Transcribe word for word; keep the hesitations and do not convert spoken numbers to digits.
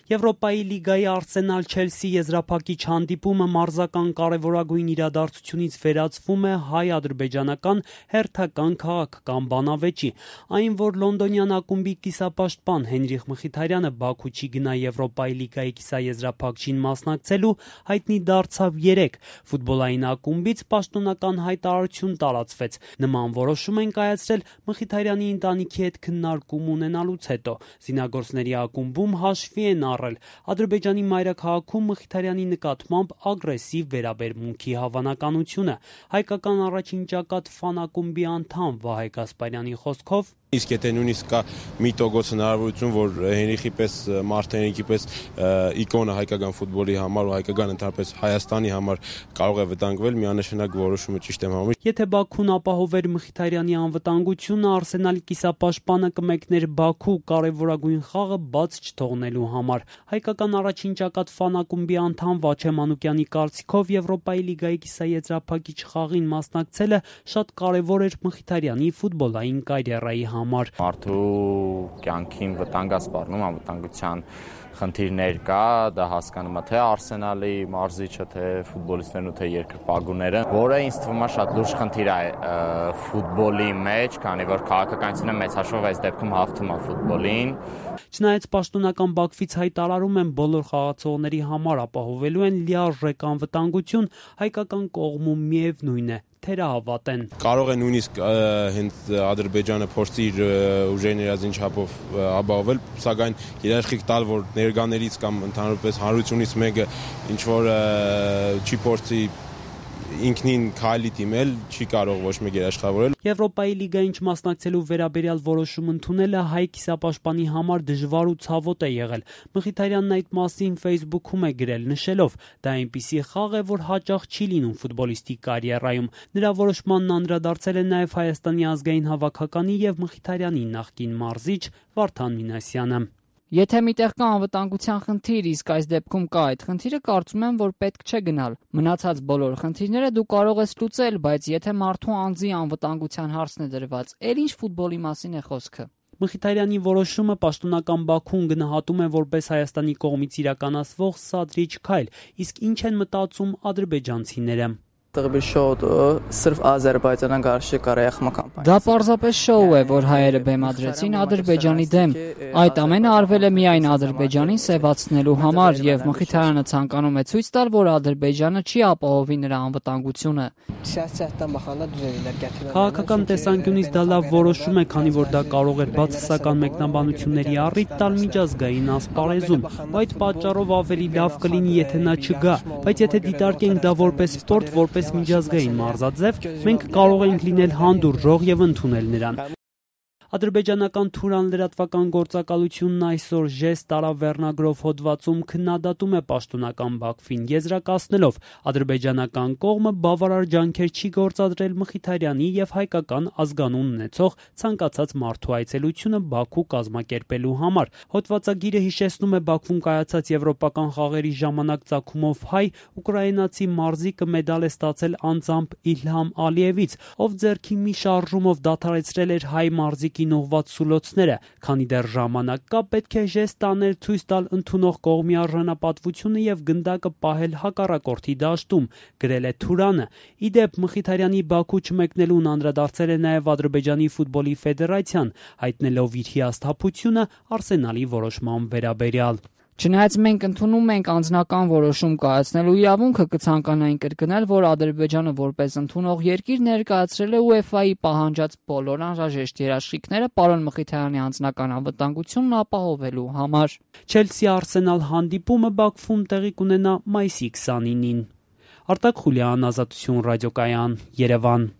Եվրոպայի լիգայի Արսենալ-Չելսի եզրափակիչ հանդիպումը մարզական կարևորագույն իրադարձությունից վերածվում է հայ-ադրբեջանական հերթական քաղաքական բանավեճի։ Այն, որ լոնդոնյան ակումբի կիսապաշտպան Հենրիխ Մխիթարյանը Բաքու չի գնա Եվրոպայի լիգայի կիսաեզրափակչին մասնակցելու, հայտնի դարձավ երեկ։ Ֆուտբոլային ակումբից պաշտոնական հայտարարություն տարածվեց։ Նման որոշում են կայացրել Մխիթարյանի ընտանիքի հետ քննարկում ունենալուց հետո։ Զինագործների ակումբում հաշվի են Ադրբեջանի մայրաքաղաքում Մխիթարյանի նկատմամբ ագրեսիվ վերաբերմունքի հավանականությունը։ Հայկական առաջին ճակատ ֆան-ակումբի անդամ Վահե Գասպարյանի խոսքով Իսկ եթե նույնիսկ կա մի տոկոս հնարավորություն, որ Հենրիխի պես մարդ Հենրիխի պես իկոնը հայկական ֆուտբոլի համար ու հայկական ընդհանրապես Հայաստանի համար կարող է վտանգվել, միանշանակ որոշումը ճիշտ եմ համարում։ Եթե Բաքուն ապահովեր Մխիթարյանի անվտանգությունը, Արսենալի կիսապաշտպանը կմեկներ Բաքու կարևորագույն խաղը բաց չթողնելու համար։ Հայկական առաջին ճակատ ֆան-ակումբի անդամ Վաչե Մանուկյանի կարծիքով Եվրոպայի լիգայի կիսաեզրափակիչ խաղին մասնակցելը շատ կարևոր էր Մխիթարյանի ֆուտբոլային կարիերայի համար։ Մարդու կյանքին վտանգ է սպառնում, անվտանգության խնդիրներ կա, դա հասկանում է թե Արսենալի մարզիչը, թե ֆուտբոլիստներն ու թե երկրպագուները, որը ինձ թվում է շատ լուրջ խնդիր է ֆուտբոլի մեջ, քանի որ քաղաքականությունը մեծ հաշվով այս դեպքում հաղթում է ֆուտբոլին։ Չնայած պաշտոնական Բաքվից հայտարարում են բոլոր խաղացողների համար ապահովելու են լիարժեք անվտանգություն, հայկական կողմում միևնույն է, թերահավատ են։ Կարող է նույնիսկ հենց Ադրբեջանը փորձի իր ուժերի ներածին չափով ապահովել, սակայն երաշխիք տալ, որ ներկաներից կամ ընդհանրապես հանրությունից մեկը ինչ որ չի փորձի ինքնին քայլի դիմել, չի կարող ոչ մեկ երաշխավորել։ Եվրոպայի լիգային չմասնակցելու վերաբերյալ որոշում ընդունելը հայ կիսապաշտպանի համար դժվար ու ցավոտ է եղել։ Մխիթարյանն այդ մասին Facebook-ում է գրել, նշելով. դա այնպիսի խաղ է, որ հաճախ չի լինում ֆուտբոլիստի կարիերայում։ Նրա որոշմանն անդրադարձել է նաև Հայաստանի ազգային հավաքականի եւ Մխիթարյանի նախկին մարզիչ Վարդան Մինասյանը։ Եթե միտեղ կա անվտանգության խնդիր, իսկ այս դեպքում կա այդ խնդիրը, կարծում եմ, որ պետք չէ գնալ։ Մնացած բոլոր խնդիրները դու կարող ես լուծել, բայց եթե մարդու անձի անվտանգության հարցն է դրված, էլ ինչ ֆուտբոլի մասին է խոսքը։ Մխիթարյանի որոշումը պաշտոնական Բաքուն գնահատում է որպես Հայաստանի կողմից իրականացվող սադրիչ քայլ, իսկ ինչ են մտածում ադրբեջանցիները։ Դա պարզապես շոու է, որ հայերը բեմադրեցին Ադրբեջանի դեմ։ Այդ ամենը արվել է միայն Ադրբեջանին սևացնելու համար, եւ Մխիթարյանը ցանկանում է ցույց տալ, որ Ադրբեջանը չի ապահովի նրա անվտանգությունը։ Քաղաքական տեսանկյունից դա լավ որոշում է, քանի որ դա կարող էր բացասական մեկնաբանությունների առիթ տալ միջազգային ասպարեզում։ Այդ պատճառով ավելի լավ կլինի, եթե նա չգա, բայց եթե դիտարկենք դա որպես սպորտ, որպես միջազգային մարզաձև, մենք կարող ենք լինել հանդուրժող եւ ընդունել նրան։ Ադրբեջանական Թուրան լրատվական գործակալությունն այսօր ժեստ տարավեռնագրով հոդվածում քննադատում է պաշտոնական Բաքվին, եզրակացնելով ադրբեջանական կողմը բավարար ջանքեր չի գործադրել Մխիթարյանի եւ հայկական ազգանուն ունեցող ցանկացած մարդու այցելությունը Բաքու կազմակերպելու համար։ Հոդվածագիրը հիշեցնում է Բաքվում կայացած եվրոպական խաղերի ժամանակ ծագումով հայ ուկրաինացի մարզիկը մեդալ է ստացել անձամբ Իլհամ Ալիևից, ով ձեռքի մի շարժումով դադարեցրել էր հայ մարզիկի նողված սուլոցները, քանի դեռ ժամանակ կա, պետք է ժեստ անել ցույց տալ ընդունող կողմի արժանապատվությունը եւ գնդակը պահել հակառակորդի դաշտում, գրել է Թուրանը։ Ի դեպ, Մխիթարյանի Բաքու չմեկնելուն անդրադարձել է նաեւ Ադրբեջանի ֆուտբոլի ֆեդերացիան, հայտնելով իր հիասթափությունը Արսենալի որոշման վերաբերյալ։ Չնայած մենք ընդունում ենք անձնական որոշում կայացնելու իրավունքը, կցանկանայինք կրկնել, որ Ադրբեջանը որպես ընդունող երկիր ներկայացրել է ՈՒԵՖԱ-ի պահանջած բոլոր անհրաժեշտ երաշխիքները պարոն Մխիթարյանի անձնական անվտանգությունն ապահովելու համար։ Չելսի Արսենալ հանդիպումը Բաքվում տեղի կունենա մայիսի քսանինին։ Արտակ Խուլյան, Ազատություն ռադիոկայան, Երևան։